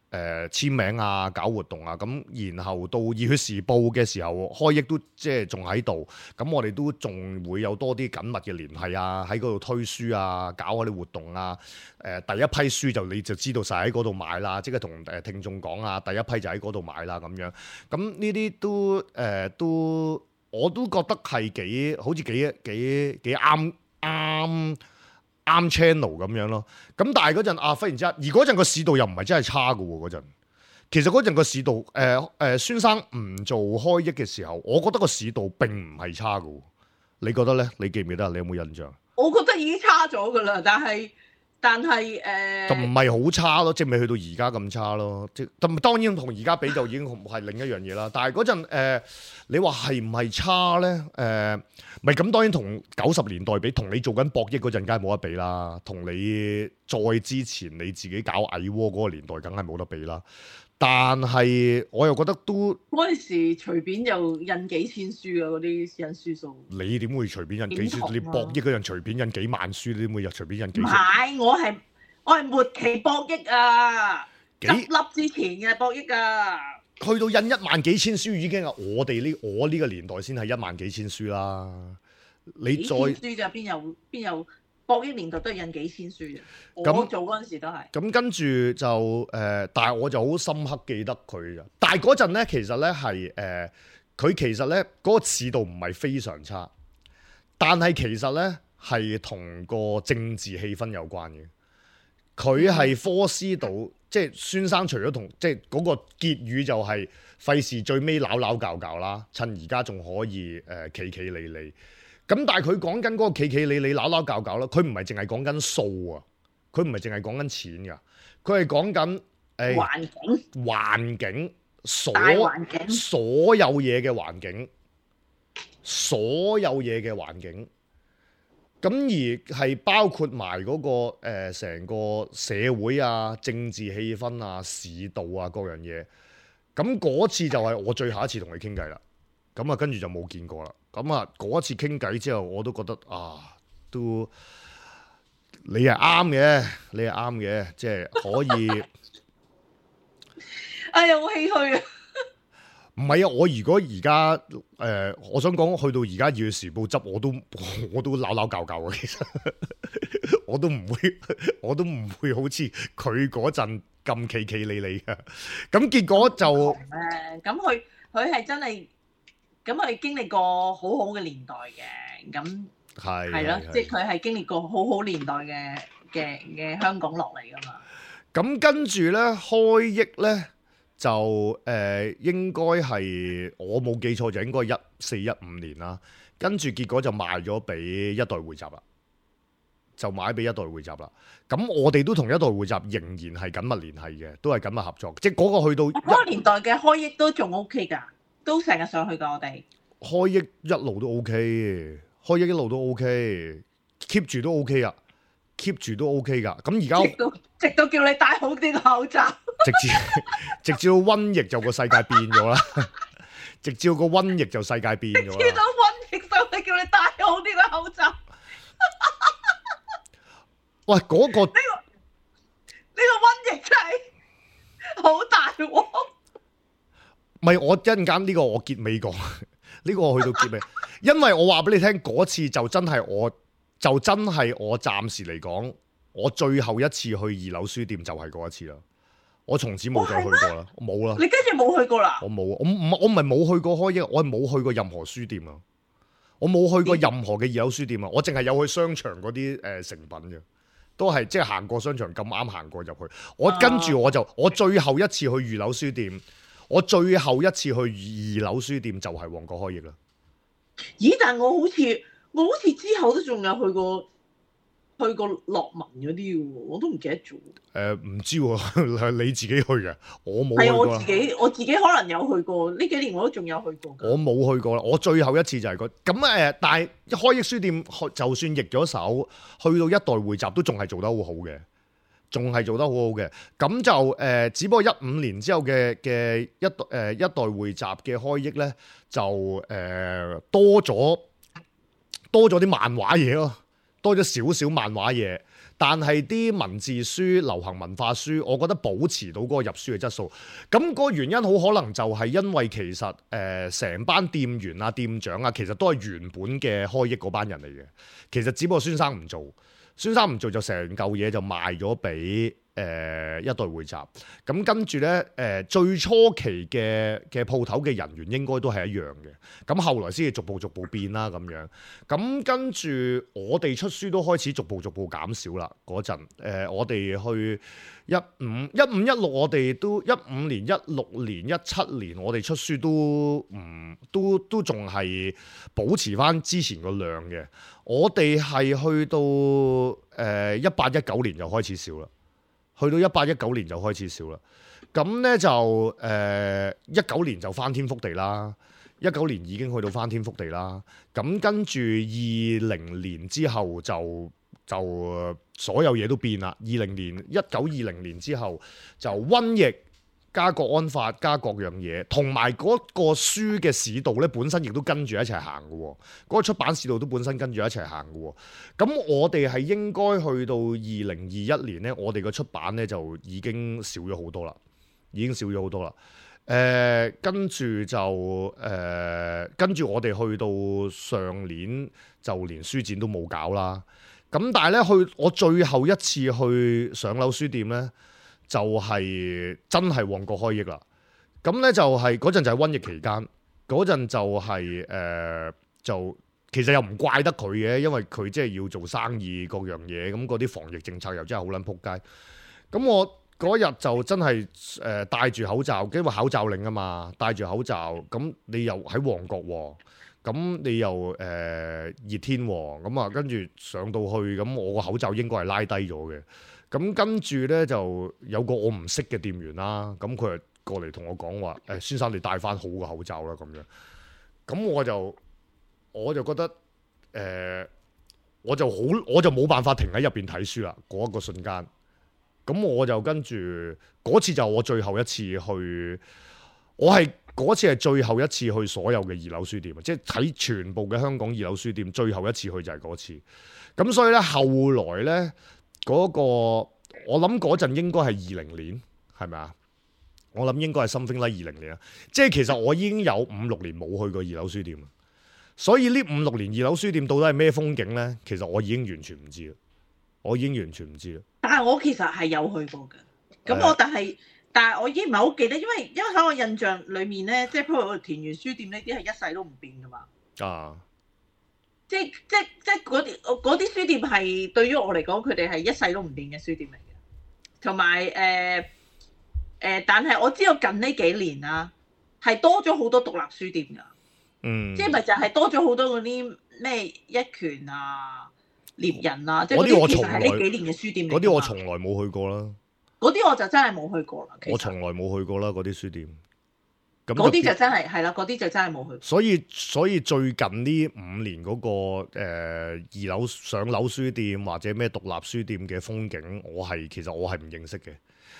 呃、簽名啊、搞活動啊，咁然後到熱血時報嘅時候，開益都即係仲喺度，咁我哋都仲會有多啲緊密嘅聯繫啊，喺嗰度推書啊、搞下啲活動啊，誒、呃、第一批書就你就知道晒喺嗰度買啦，即係同誒聽眾講啊，第一批就喺嗰度買啦咁樣，咁呢啲都誒、呃、都我都覺得係幾好似幾幾幾啱。啱啱 channel 咁樣咯，咁但係嗰陣啊，忽然之間，而嗰陣個市道又唔係真係差嘅喎，嗰陣其實嗰陣個市道，誒、呃、誒、呃，孫生唔做開益嘅時候，我覺得個市道並唔係差嘅喎，你覺得咧？你記唔記得？你有冇印象？我覺得已經差咗㗎啦，但係但係誒，呃、就唔係好差咯，即係未去到而家咁差咯，即係當然同而家比就已經係另一樣嘢啦。但係嗰陣誒，你話係唔係差咧？誒、呃，咪咁當然同九十年代比，同你做緊博益嗰陣，梗係冇得比啦。同你再之前你自己搞蟻窩嗰個年代，梗係冇得比啦。但係我又覺得都嗰陣時隨便就印幾千書啊，嗰啲印書數。你點會隨便印幾千書？你博益嗰陣隨便印幾萬書，你點會又隨便印幾千？唔係，我係我係末期博益啊，幾執笠之前嘅博益啊。去到印一萬幾千書已經係我哋呢我呢個年代先係一萬幾千書啦。你再幾千書咋？邊有邊有？博益年代都係印幾千書嘅，我做嗰陣時都係。咁跟住就誒、呃，但係我就好深刻記得佢嘅。但係嗰陣咧，其實咧係誒，佢、呃、其實咧嗰、嗰個市道唔係非常差，但係其實咧係同個政治氣氛有關嘅。佢係科斯島，嗯、即係孫生除咗同即係嗰個結語就係費事最尾鬧鬧教教啦，趁而家仲可以誒企企理理。咁但係佢講緊嗰個企企理理鬧鬧教教啦，佢唔係淨係講緊數啊，佢唔係淨係講緊錢噶，佢係講緊誒環境、環境所大環境所有嘢嘅環境，所有嘢嘅環境。咁而係包括埋嗰、嗰個成、呃、個社會啊、政治氣氛啊、市道啊各樣嘢。咁嗰次就係我最後一次同你傾偈啦。咁啊，跟住就冇見過啦。咁啊，嗰一次傾偈之後，我都覺得啊，都你係啱嘅，你係啱嘅，即係可以。哎呀，好唏噓啊！唔係啊，我如果而家誒，我想講去到而家《熱血時報》執，我都我都鬧鬧教教啊。其實我都唔會，我都唔會好似佢嗰陣咁企企理理嘅。咁結果就誒，咁佢佢係真係。咁佢經歷過好好嘅年代嘅，咁係係咯，即係佢係經歷過好好年代嘅嘅嘅香港落嚟噶嘛。咁跟住咧，開益咧就誒、呃、應該係我冇記錯就應該一四一五年啦。跟住結果就賣咗俾一代匯集啦，就買俾一代匯集啦。咁我哋都同一代匯集仍然係緊密聯繫嘅，都係緊密合作。即係嗰個去到嗰個年代嘅開益都仲 OK 㗎。都成日上去㗎，我哋開益一路都 OK，開益一路都 OK，keep 住都 OK 啊 ，keep 住都 OK 噶。咁而家直到直到叫你戴好啲個口罩，直至直至到瘟疫就個世界變咗啦，直至到個瘟疫就世界變咗啦。直到瘟疫上去叫你戴好啲個口罩。喂，嗰、嗰個呢、呢個呢、呢個瘟疫真係好大鑊。唔係，我一陣間呢個我結尾講，呢個我去到結尾，因為我話俾你聽嗰次就真係我就真係我暫時嚟講，我最後一次去二樓書店就係嗰一次啦。我從此冇再去過啦，我冇啦。你跟住冇去過啦？我冇，我唔我唔係冇去過開益，我係冇去過任何書店啊！我冇去過任何嘅二樓書店啊！我淨係有去商場嗰啲誒成品嘅，都係即係行過商場咁啱行過入去。我跟住我就我最後一次去二樓書店，我最後一次去二樓書店就係旺角開益啦。咦？但我好似我好似之後都仲有去過。去過樂文嗰啲嘅喎，我都唔記得咗。誒唔知喎，係你自己去嘅，我冇去過。係我自己，我自己可能有去過。呢幾年我都仲有去過。我冇去過啦，我最後一次就係嗰咁誒。但係開益書店就算易咗手，去到一代匯集都仲係做得好好嘅，仲係做得好好嘅。咁就誒、呃，只不過一五年之後嘅嘅一代誒、呃、一代匯集嘅開益咧，就誒、呃、多咗多咗啲漫畫嘢咯。多咗少少漫畫嘢，但係啲文字書、流行文化書，我覺得保持到嗰個入書嘅質素。咁、那、嗰個原因好可能就係因為其實誒成、呃、班店員啊、店長啊，其實都係原本嘅開益嗰班人嚟嘅。其實只不過孫生唔做，孫生唔做就成嚿嘢就賣咗俾誒一代匯集。咁跟住咧誒最初期嘅嘅鋪頭嘅人員應該都係一樣嘅。咁後來先至逐步逐步變啦咁樣，咁跟住我哋出書都開始逐步逐步減少啦。嗰陣誒，我哋去一五一五一六，我哋都一五年、一六年、一七年，我哋出書都唔都都仲係保持翻之前個量嘅。我哋係去到誒一八一九年就開始少啦，去到一八一九年就開始少啦。咁咧就誒一九年就翻天覆地啦。一九年已經去到翻天覆地啦，咁跟住二零年之後就就所有嘢都變啦。二零年一九二零年之後就瘟疫加國安法加各樣嘢，同埋嗰個書嘅市道咧本身亦都跟住一齊行嘅喎，嗰、嗰個出版市道都本身跟住一齊行嘅喎。咁我哋係應該去到二零二一年咧，我哋嘅出版咧就已經少咗好多啦，已經少咗好多啦。誒、呃、跟住就誒、呃、跟住我哋去到上年就連書展都冇搞啦。咁但係咧去我最後一次去上樓書店咧，就係、是、真係旺角開益啦。咁咧就係嗰陣就係瘟疫期間，嗰陣就係、是、誒、呃、就其實又唔怪得佢嘅，因為佢即係要做生意各樣嘢，咁嗰啲防疫政策又真係好撚仆街。咁我嗰日就真係誒戴住口罩，因為口罩令啊嘛，戴住口罩，咁你又喺旺角喎，咁你又誒、呃、熱天喎，咁啊跟住上到去，咁我個口罩應該係拉低咗嘅，咁跟住咧就有個我唔識嘅店員啦，咁佢就過嚟同我講話，誒、欸、先生你戴翻好個口罩啦咁樣，咁我就我就覺得誒、呃、我就好我就冇辦法停喺入邊睇書啦，嗰一個瞬間。咁我就跟住嗰次就我最後一次去，我係嗰次係最後一次去所有嘅二樓書店，即係睇全部嘅香港二樓書店，最後一次去就係嗰次。咁所以咧，後來咧嗰、嗰個我諗嗰陣應該係二零年，係咪啊？我諗應該係 something like 二零年啊。即係其實我已經有五六年冇去過二樓書店，所以呢五六年二樓書店到底係咩風景咧？其實我已經完全唔知啦。我已經完全唔知啦。但係我其實係有去過嘅。咁我但係，但係我已經唔係好記得，因為因為喺我印象裡面咧，即係譬如田園書店呢啲係一世都唔變噶嘛。啊！即係即係即係嗰啲嗰啲書店係對於我嚟講，佢哋係一世都唔變嘅書店嚟嘅。同埋誒誒，但係我知道近呢幾年啊，係多咗好多獨立書店㗎。嗯。即係咪就係多咗好多嗰啲咩一拳啊？獵人啊，即係嗰啲其實係呢幾年嘅書店嚟。嗰啲我從來冇去過啦。嗰啲我就真係冇去過啦。我從來冇去過啦，嗰啲書店。咁嗰啲就真係係啦，嗰啲就真係冇去過。所以所以最近呢五年嗰、嗰個、呃、二樓上樓書店或者咩獨立書店嘅風景，我係其實我係唔認識嘅。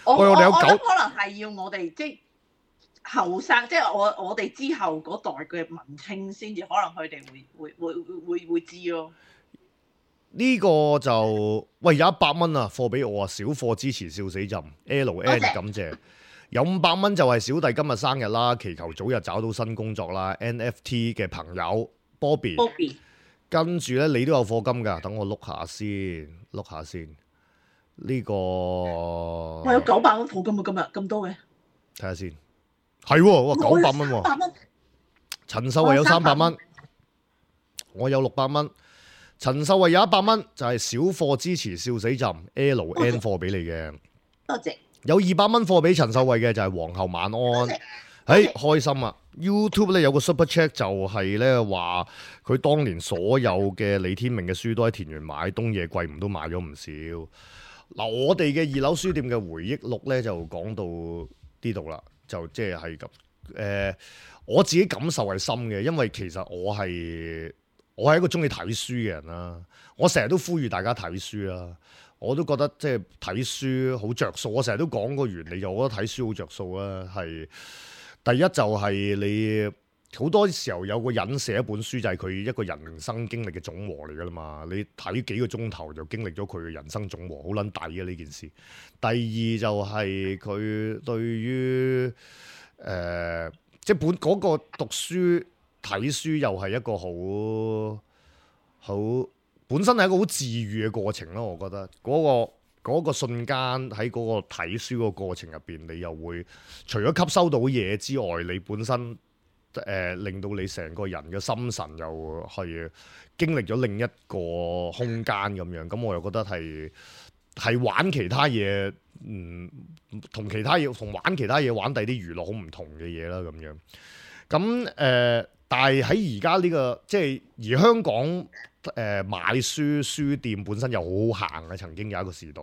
我我我諗可能係要我哋即係後生，即係我我哋之後嗰代嘅文青先至可能佢哋會會會會會會知咯。呢個就喂有一百蚊啊，貨俾我啊！小貨支持笑死浸 L N 感謝，有五百蚊就係小弟今日生日啦，祈求早日找到新工作啦。N F T 嘅朋友 Bobby， 跟住咧你都有貨金㗎，等我碌下先，碌下先。呢、個我有九百蚊課金啊！今日咁多嘅，睇下先，係喎，哇九百蚊喎。百蚊。陳秀慧有三百蚊，我有六百蚊。陳秀慧有一百蚊，就係小貨支持笑死朕 L N 貨俾你嘅。多謝。有二百蚊貨俾陳秀慧嘅就係皇后晚安。誒、哎、開心啊 ！YouTube 咧有個 Super Chat 就係咧話佢當年所有嘅李天命嘅書都喺田園買，東野圭吾都買咗唔少。嗱，我哋嘅二樓書店嘅回憶錄咧就講到呢度啦，就即係係咁誒。我自己感受係深嘅，因為其實我係我係一個中意睇書嘅人啦。我成日都呼籲大家睇書啦，我都覺得即係睇書好着數。我成日都講個原理，就我覺得睇書好着數啦。係第一就係你好多時候有個人寫一本書，就係佢一個人生經歷嘅總和嚟噶啦嘛。你睇幾個鐘頭就經歷咗佢嘅人生總和，好撚抵嘅呢件事。第二就係佢對於誒。呃即係本嗰個讀書睇書又係一個好好本身係一個好治愈嘅過程咯，我覺得嗰個嗰個瞬間喺嗰個睇書個過程入邊，你又會除咗吸收到嘢之外，你本身誒、呃、令到你成個人嘅心神又係經歷咗另一個空間咁樣，咁我又覺得係係玩其他嘢。嗯，同其他嘢同玩其他嘢玩第啲娛樂好唔同嘅嘢啦，咁樣咁誒、呃，但係喺而家呢個即係而香港誒、呃、買書書店本身又好好行嘅，曾經有一個時代，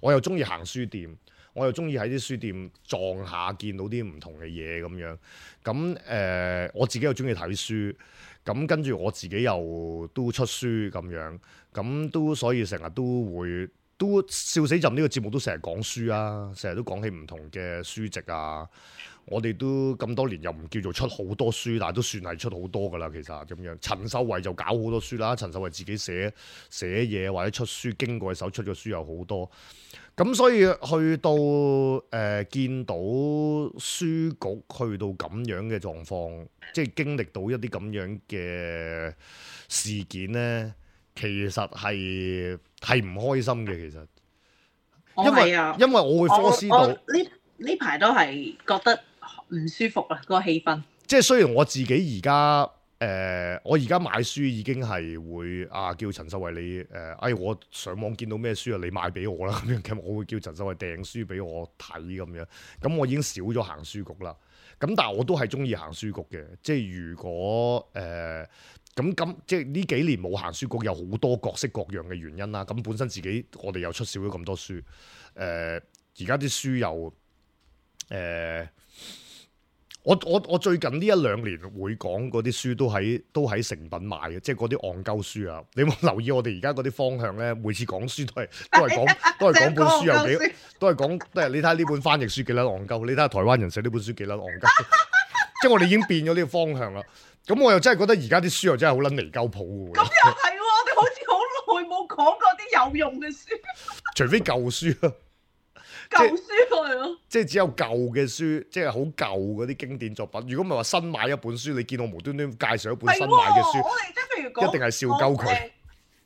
我又中意行書店，我又中意喺啲書店撞下見到啲唔同嘅嘢咁樣，咁誒、呃、我自己又中意睇書，咁跟住我自己又都出書咁樣，咁都所以成日都會。都笑死朕呢個節目都成日講書啊，成日都講起唔同嘅書籍啊。我哋都咁多年又唔叫做出好多書，但係都算係出好多噶啦。其實咁樣，陳秀慧就搞好多書啦。陳秀慧自己寫寫嘢或者出書，經過嘅手出嘅書有好多。咁所以去到誒、呃、見到書局去到咁樣嘅狀況，即係經歷到一啲咁樣嘅事件呢。其實係係唔開心嘅，其實，因為、啊、因為我會 force 到呢呢排都係覺得唔舒服啊，個氣氛。即係雖然我自己而家誒，我而家買書已經係會啊叫陳秀慧你誒，哎我上網見到咩書啊，你買俾我啦咁樣，咁我會叫陳秀慧訂書俾我睇咁樣，咁我已經少咗行書局啦。咁但係我都係中意行書局嘅，即係如果誒。呃咁咁即係呢幾年冇行書局，有好多各式各樣嘅原因啦。咁本身自己我哋又出少咗咁多書，誒而家啲書又誒、呃，我我我最近呢一兩年會講嗰啲書都喺都喺誠品買嘅，即係嗰啲戇鳩書啊！你有冇留意我哋而家嗰啲方向咧？每次講書都係都係講都係講本書又幾都係講都係你睇下呢本翻譯書幾撚戇鳩，你睇下台灣人寫呢本書幾撚戇鳩，即係我哋已經變咗呢個方向啦。咁我又真係覺得而家啲書又真係好撚離鳩譜嘅喎。咁又係喎，我哋好似好耐冇講過啲有用嘅書。除非舊書啊，舊書係咯。即係只有舊嘅書，即係好舊嗰啲經典作品。如果唔係話新買一本書，你見我無端端介紹一本新買嘅書，我哋即係譬如講，一定係笑鳩佢。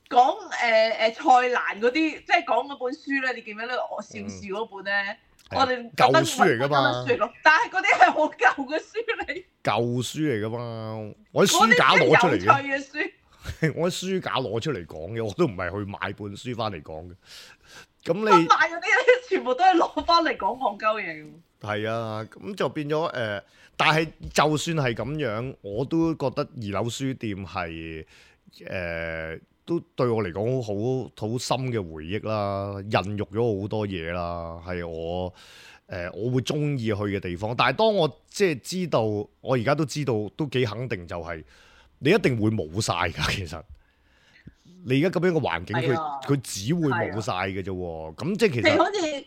講誒誒蔡瀾嗰啲，即係講嗰本書咧，你記唔記得我邵氏嗰本咧？我哋舊書嚟噶嘛，但係嗰啲係好舊嘅書嚟。舊書嚟噶嘛，我啲書架攞出嚟嘅。我啲書架攞出嚟講嘅，我都唔係去買本書翻嚟講嘅。咁你買嗰啲咧，全部都係攞翻嚟講戇鳩嘢。係啊，咁就變咗誒、呃。但係就算係咁樣，我都覺得二樓書店係誒。呃都對我嚟講好好深嘅回憶啦，孕育咗好多嘢啦，係我誒、呃、我會中意去嘅地方。但係當我即係知道，我而家都知道，都幾肯定就係、是、你一定會冇晒㗎。其實你而家咁樣嘅環境，佢佢、啊、只會冇晒嘅啫。咁、啊、即係其實，譬如好似誒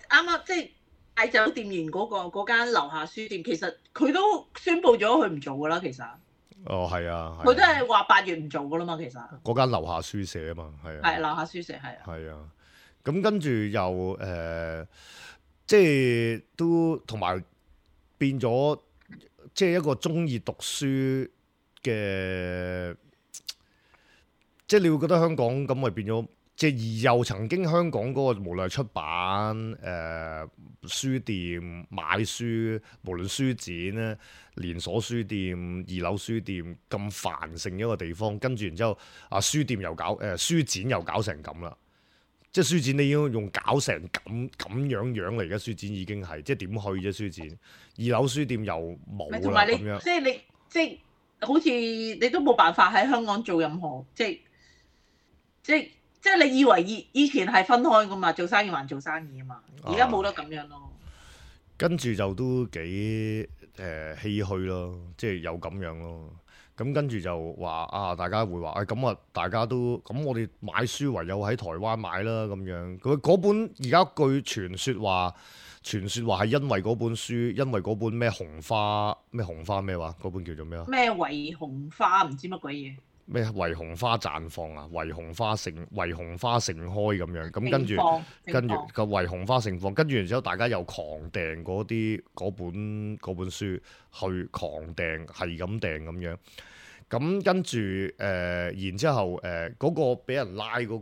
啱啱即係大酒店員嗰、那個嗰間樓下書店，其實佢都宣布咗佢唔做㗎啦。其實。哦，係啊，佢都係話八月唔做噶啦嘛，其實嗰間樓下書社啊嘛，係啊，係樓下書社係啊，係啊，咁跟住又誒、呃，即係都同埋變咗，即係一個中意讀書嘅，即係你會覺得香港咁咪變咗即係而又曾經香港嗰、個無論係出版誒、呃、書店買書，無論書展咧、連鎖書店、二樓書店咁繁盛一個地方，跟住然之後啊書店又搞誒、呃、書展又搞成咁啦。即係書展你已經用搞成咁咁樣樣嚟嘅，書展已經係即係點去啫？書展二樓書店又冇同埋你啦咁樣。即係你即係好似你都冇辦法喺香港做任何即係即係即係你以為以以前係分開噶嘛，做生意還做生意啊嘛，而家冇得咁樣咯。跟住就都幾誒、呃、唏噓咯，即係有咁樣咯。咁跟住就話啊，大家會話誒咁啊，大家都咁，我哋買書唯有喺台灣買啦咁樣。佢嗰本而家據傳說話，傳說話係因為嗰本書，因為嗰本咩紅花咩紅花咩話，嗰本叫做咩啊？咩唯紅花唔知乜鬼嘢？咩唯紅花綻放啊，唯紅花盛，唯紅花盛開咁樣，咁跟住盛放跟住盛放個唯紅花盛放，跟住然之後大家又狂訂嗰啲嗰本嗰本書去狂訂，係咁訂咁樣，咁跟住誒、呃，然之後誒嗰、呃嗰個俾人拉嗰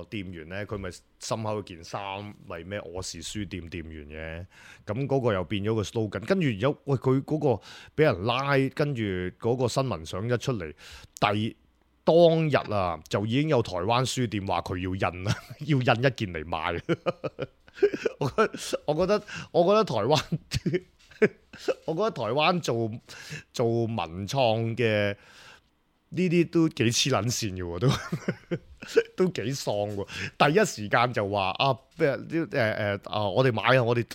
個店員咧，佢咪心口件衫咪咩我是書店店員嘅，咁嗰個又變咗個 slogan，跟住有喂佢嗰個俾人拉，跟住嗰個新聞相一出嚟，第當日啊就已經有台灣書店話佢要印啦，要印一件嚟賣。我覺得我覺得我覺得台灣。我覺得台灣做做文創嘅呢啲都幾黐撚線嘅喎，都都幾喪喎。第一時間就話啊，咩啲誒誒啊，我哋買啊，我哋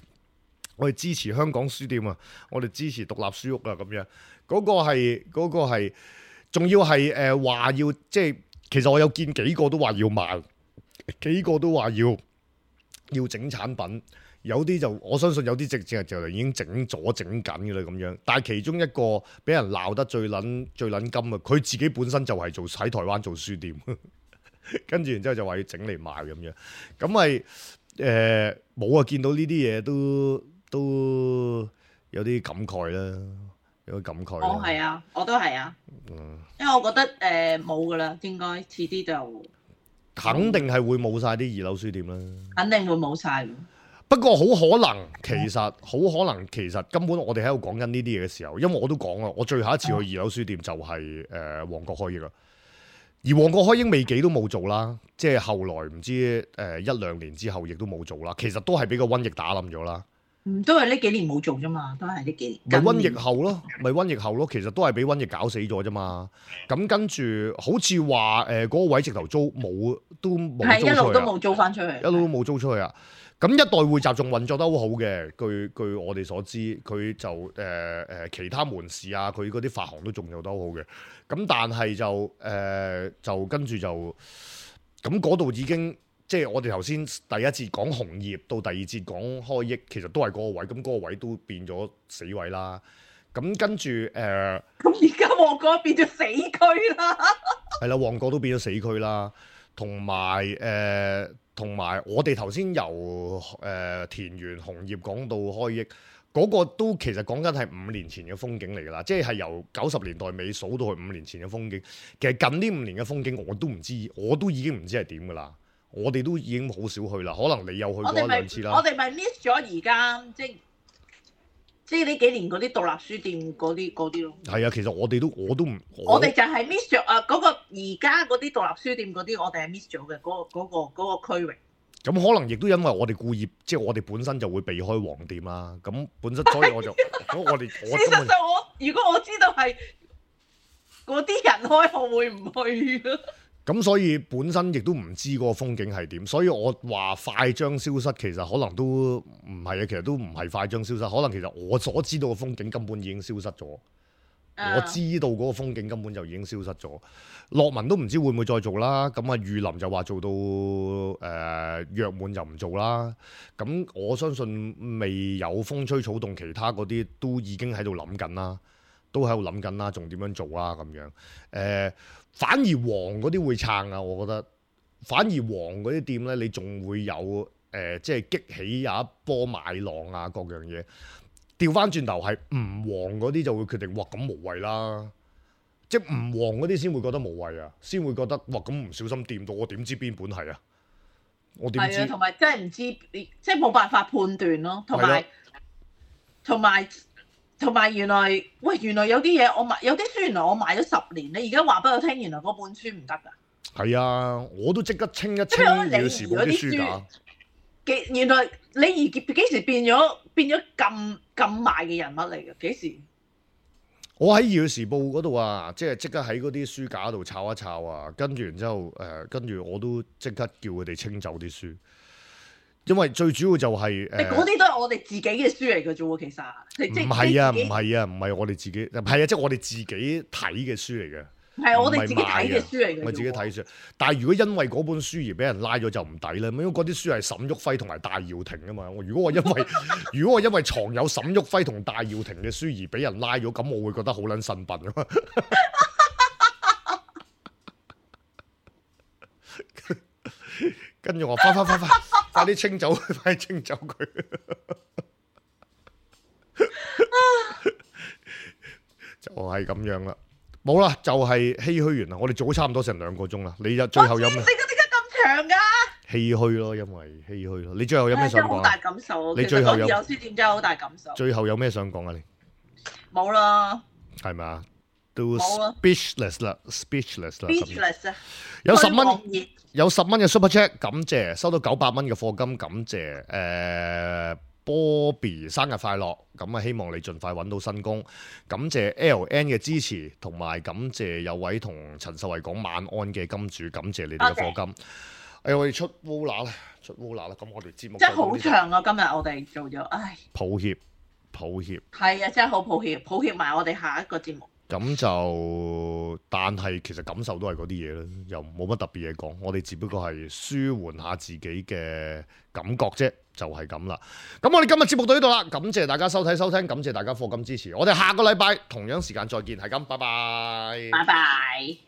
我哋支持香港書店啊，我哋支持獨立書屋啊，咁樣嗰、嗰個係嗰、嗰個係，仲要係誒話要即係，其實我有見幾個都話要賣，幾個都話要要整產品。有啲就我相信有啲直接就已經整咗整緊嘅啦咁樣，但係其中一個俾人鬧得最撚最撚金啊！佢自己本身就係做喺台灣做書店，跟住然之後就話要整嚟賣咁樣，咁咪誒冇啊！見到呢啲嘢都都有啲感慨啦，有啲感慨。哦，係啊，我都係啊，嗯，因為我覺得誒冇噶啦，應該遲啲就肯定係會冇晒啲二樓書店啦，肯定會冇晒。不過好可能，其實好可能，其實根本我哋喺度講緊呢啲嘢嘅時候，因為我都講啦，我最後一次去二樓書店就係誒旺角開益啦，而旺角開益未幾都冇做啦，即係後來唔知誒、呃、一兩年之後亦都冇做啦，其實都係俾個瘟疫打冧咗啦。嗯，都係呢幾年冇做啫嘛，都係呢幾年。咪瘟疫後咯，咪瘟疫後咯，其實都係俾瘟疫搞死咗啫嘛。咁跟住好似話誒嗰個位直頭租冇，都冇租出去，係一路都冇租翻出去，一路都冇租出去啊。咁一代匯集仲運作得好好嘅，據據我哋所知，佢就誒誒、呃、其他門市啊，佢嗰啲發行都仲做得好好嘅。咁但係就誒、呃、就跟住就咁嗰度已經。即係我哋頭先第一節講紅葉，到第二節講開益，其實都係嗰個位，咁嗰個位都變咗死位啦。咁跟住誒，咁而家旺角變咗死區啦。係啦，旺角都變咗死區啦。同埋誒，同、呃、埋我哋頭先由誒、呃、田園紅葉講到開益，嗰、那個都其實講緊係五年前嘅風景嚟㗎啦。即係由九十年代尾數到去五年前嘅風景。其實近呢五年嘅風景我都唔知，我都已經唔知係點㗎啦。我哋都已經好少去啦，可能你有去過一兩次啦。我哋咪 miss 咗而家即係即係呢幾年嗰啲獨立書店嗰啲嗰啲咯。係啊，其實我哋都我都唔，我哋就係 miss 咗啊！嗰個而家嗰啲獨立書店嗰啲，我哋係 miss 咗嘅嗰個嗰個嗰個區域。咁可能亦都因為我哋故意，即係我哋本身就會避開黃店啦。咁本身所以我就，我我哋事實上我如果我知道係嗰啲人開，我會唔去啊？咁所以本身亦都唔知嗰個風景係點，所以我話快將消失，其實可能都唔係啊，其實都唔係快將消失，可能其實我所知道嘅風景根本已經消失咗。Uh. 我知道嗰個風景根本就已經消失咗。樂文都唔知會唔會再做啦。咁啊，裕林就話做到誒約、呃、滿就唔做啦。咁我相信未有風吹草動，其他嗰啲都已經喺度諗緊啦，都喺度諗緊啦，仲點樣做啦咁樣誒。呃反而黃嗰啲會撐啊，我覺得。反而黃嗰啲店咧，你仲會有誒、呃，即係激起有一波買浪啊，各樣嘢。調翻轉頭係唔黃嗰啲就會決定，哇咁無謂啦。即係唔黃嗰啲先會覺得無謂啊，先會覺得哇咁唔小心掂到我點知邊本係啊？我點知？係啊，同埋真係唔知，即係冇辦法判斷咯，同埋同埋同埋原來喂原來有啲嘢我買有啲書原來我買咗十年，你而家話俾我聽，原來嗰本書唔得㗎。係啊，我都即刻清一清《要時報》啲書架。幾原來李怡幾時變咗變咗咁咁賣嘅人物嚟嘅？幾時？我喺《要時報》嗰度啊，即係即刻喺嗰啲書架度抄一抄啊，跟住然之後誒，跟、呃、住我都即刻叫佢哋清走啲書，因為最主要就係、是、誒，嗰、呃、啲都係我哋自己嘅書嚟嘅啫喎，其實。唔係啊，唔係啊，唔係我哋自己，係啊，即係我哋自己睇嘅書嚟嘅。係我哋自己睇嘅書嚟嘅，唔係自己睇書。但係如果因為嗰本書而俾人拉咗就唔抵啦，因為嗰啲書係沈旭輝同埋戴耀廷啊嘛。如果我因為如果我因為藏有沈旭輝同戴耀廷嘅書而俾人拉咗，咁我會覺得好撚腎笨啊嘛。跟住我快快快快快啲清走，快啲清走佢。就係咁樣啦。冇啦，就係唏噓完啦。我哋做咗差唔多成兩個鐘啦。你又最後有咩？你點解咁長㗎？唏噓咯，因為唏噓咯。你最後有咩想講？好大感受。你最後有有書店真係好大感受。最後有咩想講啊？你冇啦。係咪啊？都 speechless 啦 ，speechless 啦。speechless 啊！有十蚊，有十蚊嘅 super chat，感謝收到九百蚊嘅課金，感謝誒。呃Bobby 生日快樂，咁啊希望你盡快揾到新工，感謝 L N 嘅支持，同埋感謝有位同陳秀慧講晚安嘅金主，感謝你哋嘅課金。哎，我哋出 Vola 啦，出 Vola 啦，咁我哋節目真係好長啊！今日我哋做咗，唉，抱歉，抱歉，係啊，真係好抱歉，抱歉埋我哋下一個節目。咁就，但係其實感受都係嗰啲嘢啦，又冇乜特別嘢講。我哋只不過係舒緩下自己嘅感覺啫，就係咁啦。咁我哋今日節目到呢度啦，感謝大家收睇收聽，感謝大家課金支持。我哋下個禮拜同樣時間再見，係咁，拜拜，拜拜。